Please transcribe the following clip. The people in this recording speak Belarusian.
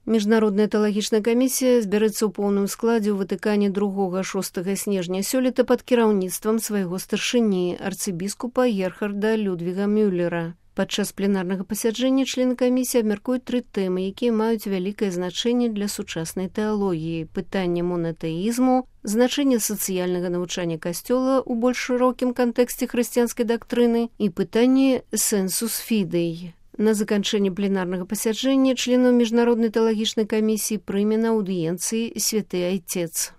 Міжнародная тэалагічная камісія збярэцца ў поўным складзе ў Ватыкане 2-6 снежня сёлета пад кіраўніцтвам свайго старшыні, арцыбіскупа Герхарда Людвіга Мюллера. Падчас пленарнага пасяджэння члены камісіі абмяркуюць 3 тэмы, якія маюць вялікае значэнне для сучаснай тэалогіі: пытанне монатэізму, значэнне сацыяльнага навучання касцёла ў больш шырокім кантэксце хрысціянскай дактрыны і пытанне сенсус фідэй. На заканчэнне пленарнага пасяджэння членаў Міжнароднай тэалагічнай камісіі прыме на аўдыенцыі святы айцец.